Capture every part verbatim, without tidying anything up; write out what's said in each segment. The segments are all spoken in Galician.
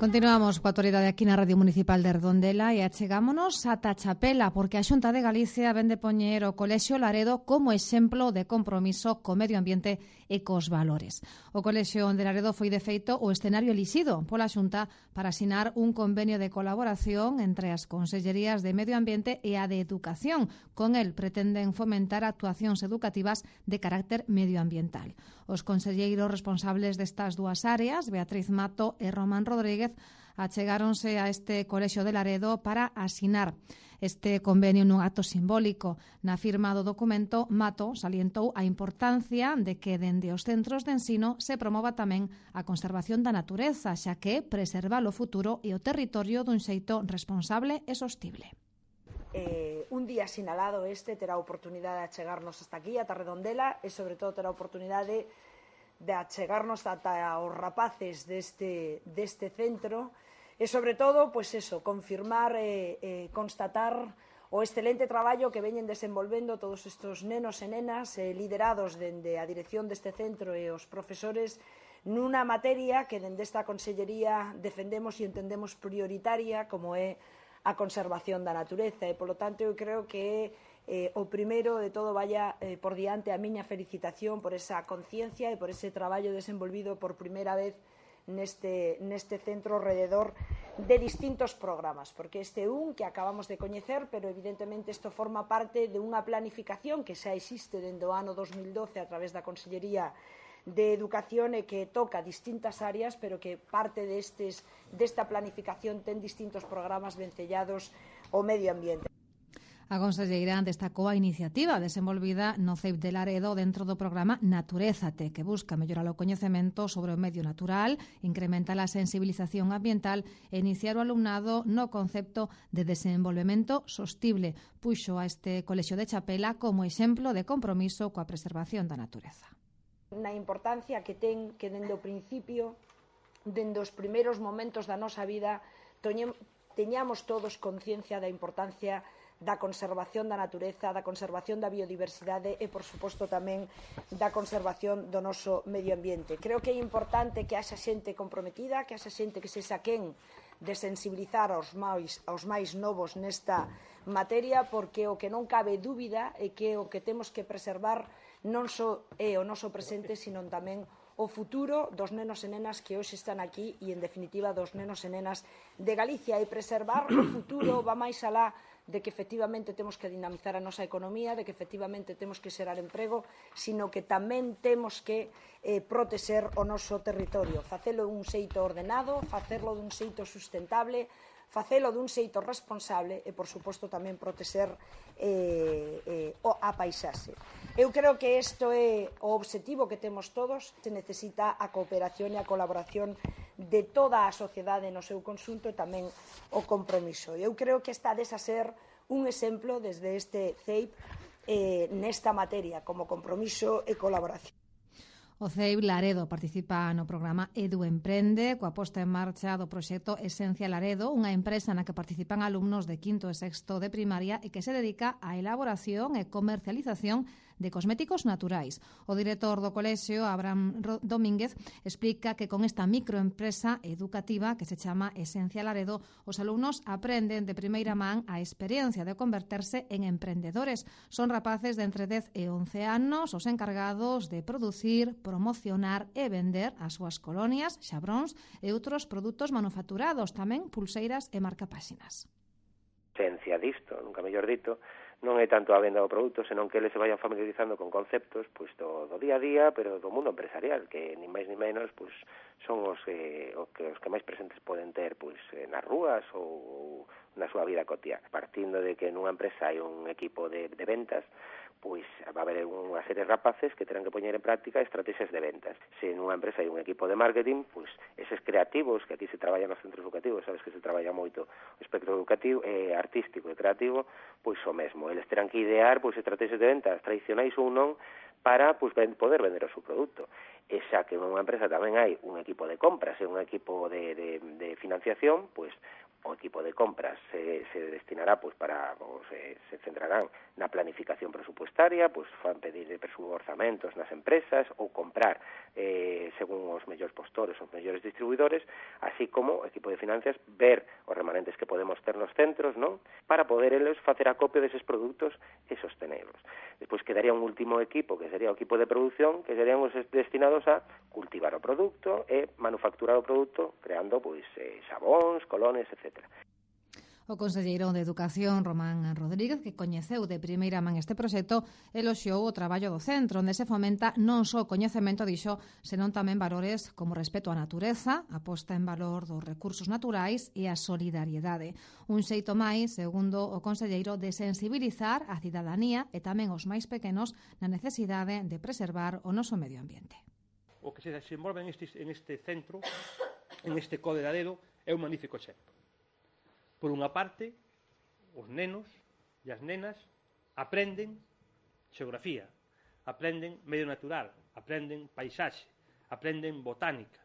Continuamos coa actualidade aquí na Radio Municipal de Redondela e achegámonos ata Chapela, porque a Xunta de Galicia ven de poñer o Colexio Laredo como exemplo de compromiso co medio ambiente e cos valores. O Colexio de Laredo foi de feito o escenario elixido pola Xunta para asinar un convenio de colaboración entre as Consellerías de Medio Ambiente e a de Educación. Con el pretenden fomentar actuacións educativas de carácter medioambiental. Os conselleiros responsables destas dúas áreas, Beatriz Mato e Román Rodríguez, achegáronse a este Colexio de Laredo para asinar este convenio nun acto simbólico. Na firma do documento, Mato salientou a importancia de que dende os centros de ensino se promova tamén a conservación da natureza, xa que preservar o futuro e o territorio dun xeito responsable e sostible. Eh, un día sinalado este terá a oportunidade de achegarnos hasta aquí, ata Redondela, e sobre todo terá a oportunidade de achegarnos ata os rapaces deste, deste centro e sobre todo, pois eso, confirmar e eh, eh, constatar o excelente traballo que veñen desenvolvendo todos estes nenos e nenas eh, liderados dende a dirección deste centro e os profesores nunha materia que dende esta Consellería defendemos e entendemos prioritaria, como é a conservación da natureza, e, polo tanto, eu creo que eh, o primeiro de todo vaya eh, por diante a miña felicitación por esa conciencia e por ese traballo desenvolvido por primeira vez neste, neste centro alrededor de distintos programas, porque este é un que acabamos de coñecer, pero evidentemente isto forma parte de unha planificación que xa existe dende o ano dos mil doce a través da Consellería de Educación e que toca distintas áreas, pero que parte destes, desta planificación ten distintos programas vencellados ao medio ambiente. A conselleira destacou a iniciativa desenvolvida no C E I P de Laredo dentro do programa Naturézate, que busca mellorar o coñecemento sobre o medio natural, incrementar a sensibilización ambiental e iniciar o alumnado no concepto de desenvolvemento sostible. Puxo a este Colexio de Chapela como exemplo de compromiso coa preservación da natureza. Na importancia que ten que dende o principio, dende os primeiros momentos da nosa vida, teñamos todos conciencia da importancia da conservación da natureza, da conservación da biodiversidade e, por suposto, tamén da conservación do noso medio ambiente. Creo que é importante que haxa xente comprometida, que haxa xente que se saquen de sensibilizar aos máis, aos máis novos nesta materia, porque o que non cabe dúbida é que o que temos que preservar non só é o noso presente, sino tamén o futuro dos nenos e nenas que hoxe están aquí e, en definitiva, dos nenos e nenas de Galicia. E preservar o futuro va máis alá de que efectivamente temos que dinamizar a nosa economía, de que efectivamente temos que xerar emprego, sino que tamén temos que eh, protexer o noso territorio, facelo dun xeito ordenado, facerlo dun xeito sustentable, facelo dun xeito responsable e, por suposto, tamén protexer eh, eh, a paisaxe. Eu creo que isto é o obxectivo que temos todos. Se necesita a cooperación e a colaboración de toda a sociedade no seu conxunto e tamén o compromiso. Eu creo que está a ser un exemplo desde este C E I P eh, nesta materia, como compromiso e colaboración. O C E I P Laredo participa no programa Edu Emprende, coa posta en marcha do proxecto Esencia Laredo, unha empresa na que participan alumnos de quinto e sexto de primaria e que se dedica á elaboración e comercialización de cosméticos naturais. O director do colexio, Abraham Domínguez, explica que con esta microempresa educativa que se chama Esencia Laredo, os alumnos aprenden de primeira man a experiencia de converterse en emprendedores. Son rapaces de entre dez e once anos os encargados de producir, promocionar e vender as súas colonias, xabróns e outros produtos manufacturados, tamén pulseiras e marcapáxinas. Esencia disto, nunca mellor dito, non é tanto a venda do produto, senón que eles se vayan familiarizando con conceptos pois, do, do día a día, pero do mundo empresarial, que ni máis ni menos pois, son os, eh, os, que, os que máis presentes poden ter pois, nas rúas ou na súa vida cotiá. Partindo de que nunha empresa hai un equipo de, de ventas, pois va a haber unha serie de rapaces que terán que poñer en práctica estrategias de ventas. Se nunha empresa hai un equipo de marketing, pois eses creativos, que aquí se traballa nos centros educativos, sabes que se traballa moito o espectro educativo, eh, artístico e creativo, pois o mesmo. Eles terán que idear pois estrategias de ventas tradicionais ou non para pois, poder vender o seu produto. E xa que nunha empresa tamén hai un equipo de compras e un equipo de, de, de financiación, pois o equipo de compras se, se destinará pois para o se, se centrarán na planificación presupuestaria, pois fan pedir orzamentos nas empresas ou comprar eh, según os mellores postores, os mellores distribuidores, así como o equipo de finanzas ver os remanentes que podemos ter nos centros, non? Para poder eles facer acopio deses produtos e sostenelos. Despois quedaría un último equipo, que sería o equipo de produción, que serían os destinados a cultivar o produto e manufacturar o produto, creando pois eh, xabóns, colones, etcétera. O conselleiro de Educación, Román Rodríguez, que coñeceu de primeira man este proxecto, eloxiou o traballo do centro, onde se fomenta non só o coñecemento, dixo, senón tamén valores como respeto á natureza, a posta en valor dos recursos naturais e a solidariedade. Un xeito máis, segundo o conselleiro, de sensibilizar a cidadanía e tamén os máis pequenos na necesidade de preservar o noso medio ambiente. O que se desenvolve en este, en este centro, en este Code de Laredo, é un magnífico exemplo. Por unha parte, os nenos e as nenas aprenden xeografía, aprenden medio natural, aprenden paisaxe, aprenden botánica,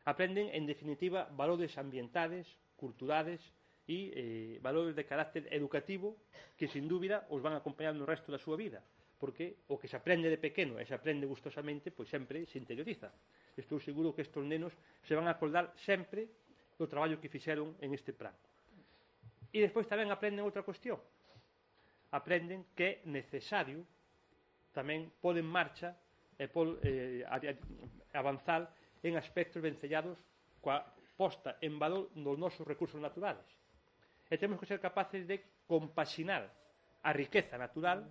aprenden, en definitiva, valores ambientales, culturales e eh, valores de carácter educativo que, sin dúbida, os van a acompañar no resto da súa vida, porque o que se aprende de pequeno e se aprende gustosamente, pois sempre se interioriza. Estou seguro que estes nenos se van a acordar sempre do traballo que fixeron en este plan. E despois tamén aprenden outra cuestión. Aprenden que é necesario tamén pôr en marcha e pôr, eh, avanzar en aspectos vencellados coa posta en valor dos nosos recursos naturales. E temos que ser capaces de compaxinar a riqueza natural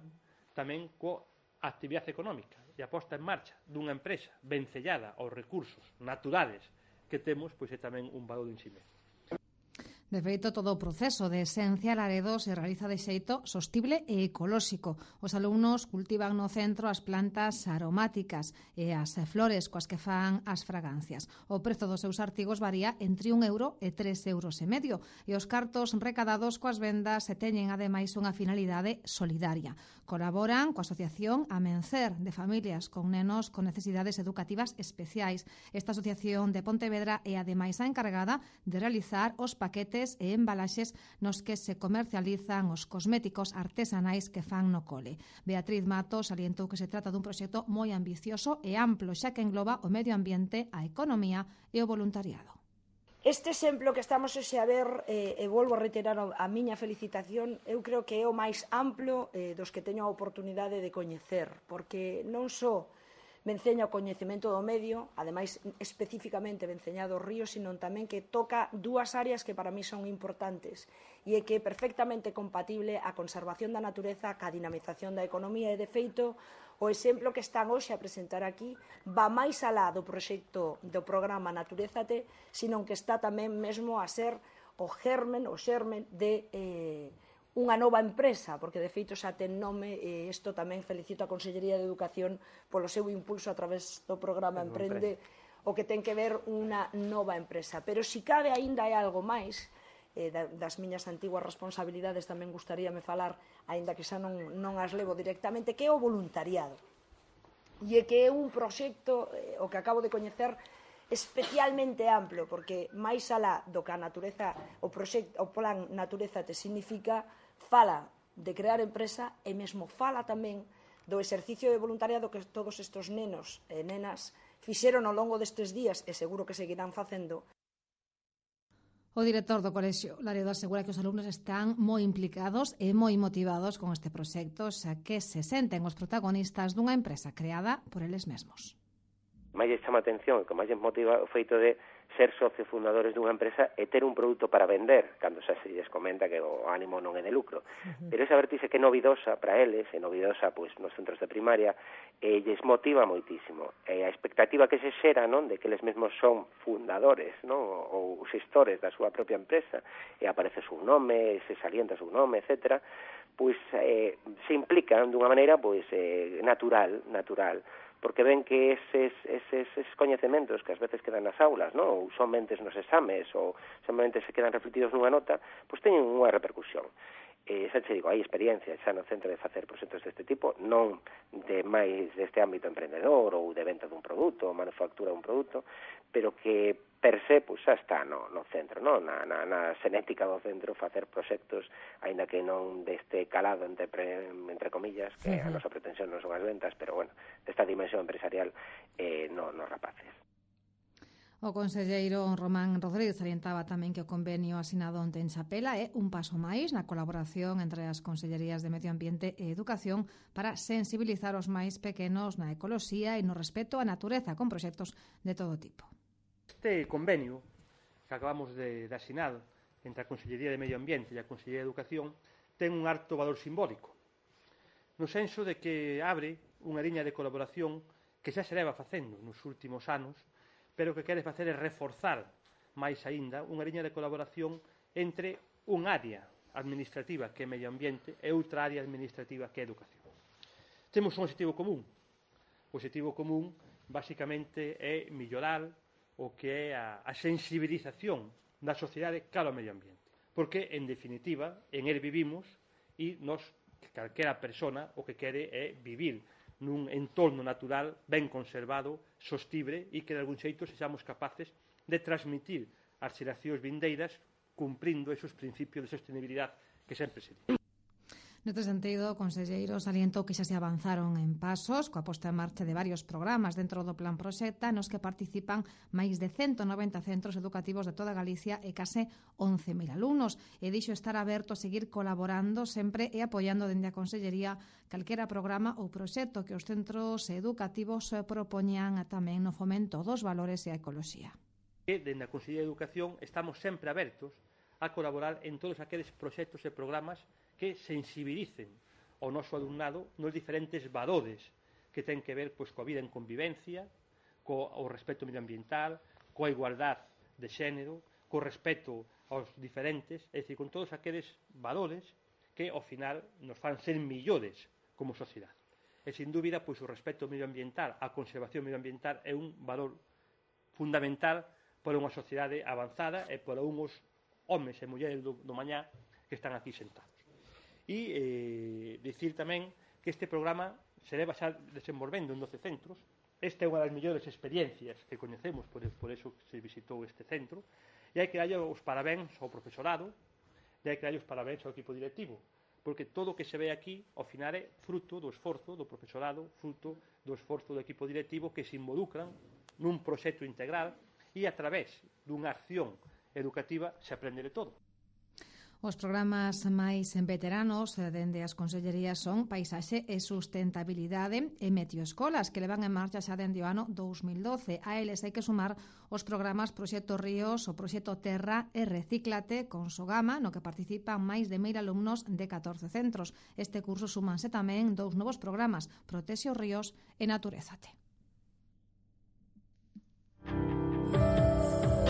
tamén coa actividade económica e a posta en marcha dunha empresa vencellada aos recursos naturales que temos, pois é tamén un valor en si mesmo. De feito, todo o proceso de Esencia Laredo se realiza de xeito sostible e ecolóxico. Os alumnos cultivan no centro as plantas aromáticas e as flores coas que fan as fragancias. O prezo dos seus artigos varía entre un euro e tres euros e medio e os cartos recadados coas vendas se teñen ademais unha finalidade solidaria. Colaboran coa asociación Amencer de familias con nenos con necesidades educativas especiais. Esta asociación de Pontevedra é ademais a encargada de realizar os paquetes e embalaxes nos que se comercializan os cosméticos artesanais que fan no cole. Beatriz Matos salientou que se trata dun proxecto moi ambicioso e amplo, xa que engloba o medio ambiente, a economía e o voluntariado. Este exemplo que estamos hoxe a ver, eh, e volvo a reiterar a miña felicitación, eu creo que é o máis amplo eh, dos que teño a oportunidade de coñecer, porque non só venceña o coñecemento do medio, ademais especificamente venceñado o río, sino tamén que toca dúas áreas que para mí son importantes e é que é perfectamente compatible a conservación da natureza ca dinamización da economía e, de feito, o exemplo que están hoxe a presentar aquí va máis alá do proxecto do programa Naturézate, sino que está tamén mesmo a ser o germen, o xermen de eh, unha nova empresa, porque de feito xa ten nome, e isto tamén felicito a Consellería de Educación polo seu impulso a través do programa Emprende, o que ten que ver unha nova empresa. Pero si cabe aínda hai algo máis, eh, das miñas antiguas responsabilidades tamén gustaríame falar, aínda que xa non, non as levo directamente, que é o voluntariado. E é que é un proxecto, eh, o que acabo de coñecer, especialmente amplo, porque máis alá do que a natureza, o, proxecto, o plan Natureza te significa, fala de crear empresa e mesmo fala tamén do exercicio de voluntariado que todos estes nenos e nenas fixeron ao longo destes días e seguro que seguirán facendo. O director do Colexio Laredo asegura que os alumnos están moi implicados e moi motivados con este proxecto, xa que se senten os protagonistas dunha empresa creada por eles mesmos. máis lle chama a atención e que máis lle motiva o feito de ser socios fundadores dunha empresa e ter un produto para vender, cando xa se lles comenta que o ánimo non é de lucro. Uh-huh. Pero esa vertixe que é novidosa para eles, é novidosa pois, nos centros de primaria, e lles motiva moitísimo. E a expectativa que se xera, non, de que eles mesmos son fundadores, non, ou xestores da súa propia empresa, e aparece o seu nome, se salienta o seu nome, etcétera, pois eh, se implican dunha maneira pois eh, natural, natural, porque ven que eses, eses, eses coñecementos que ás veces quedan nas aulas, non? Ou somente nos exames, ou somente se quedan refletidos nunha nota, pois teñen unha repercusión. Eh, xa che digo, hai experiencia xa no centro de facer proxectos deste tipo, non de máis deste ámbito emprendedor ou de venta dun produto ou manufactura dun produto, pero que per se pues, xa está no, no centro, no? na, na, na xenética do centro facer proxectos, aínda que non deste calado entre, entre comillas, que uh-huh. a nosa pretensión non son as ventas, pero bueno, desta dimensión empresarial eh, no, nos rapaces. O conselleiro Román Rodríguez salientaba tamén que o convenio asinado onte en Chapela é un paso máis na colaboración entre as consellerías de Medio Ambiente e Educación para sensibilizar os máis pequenos na ecoloxía e no respeto á natureza con proxectos de todo tipo. Este convenio que acabamos de, de asinar entre a Consellería de Medio Ambiente e a Consellería de Educación ten un alto valor simbólico, no senso de que abre unha liña de colaboración que xa se leva facendo nos últimos anos, pero que quere facer é reforzar máis aínda unha liña de colaboración entre un área administrativa que é medio ambiente e outra área administrativa que é educación. Temos un objetivo común. O objetivo común, basicamente, é mellorar o que é a, a sensibilización da sociedade cara ao medio ambiente. Porque, en definitiva, en el vivimos e nos, calquera persona, o que quere é vivir nun entorno natural ben conservado, sostible e que de algún xeito sexamos capaces de transmitir ás xeracións vindeiras cumprindo esos principios de sostenibilidade que sempre se di. Neste sentido, o conselleiro salientou que xa se avanzaron en pasos coa posta en marcha de varios programas dentro do Plan Proxecta nos que participan máis de ciento noventa centros educativos de toda Galicia e case once mil alumnos e dixo estar aberto a seguir colaborando sempre e apoiando dende a Consellería calquera programa ou proxecto que os centros educativos propoñan tamén no fomento dos valores e a ecoloxía. E dende a Consellería de Educación estamos sempre abertos a colaborar en todos aqueles proxectos e programas que sensibilicen ao noso alumnado nos diferentes valores que ten que ver pois, coa vida en convivencia, co o respeto medioambiental, coa igualdade de xénero, co respeto aos diferentes, é dicir, con todos aqueles valores que, ao final, nos fan ser millores como sociedade. E, sin dúbida, pois, o respeto medioambiental, a conservación medioambiental é un valor fundamental para unha sociedade avanzada e para unhos homes e mulleres do, do mañá que están aquí sentados. E eh, dicir tamén que este programa se leva xa desenvolvendo en doce centros. Esta é unha das mellores experiencias que coñecemos, por, por eso se visitou este centro, e hai que darlle os parabéns ao profesorado, e hai que darlle os parabéns ao equipo directivo, porque todo o que se ve aquí, ao final, é fruto do esforzo do profesorado, fruto do esforzo do equipo directivo que se involucran nun proxecto integral e a través dunha acción educativa se aprende de todo. Os programas máis veteranos dende as consellerías son Paisaxe e Sustentabilidade e Meteoescolas, que levan en marcha xa dende o ano dous mil doce. A eles hai que sumar os programas Proxecto Ríos, o Proxecto Terra e Recíclate con Sogama, no que participan máis de mil alumnos de catorce centros. Este curso súmanse tamén dous novos programas, Protexe os Ríos e Naturezate.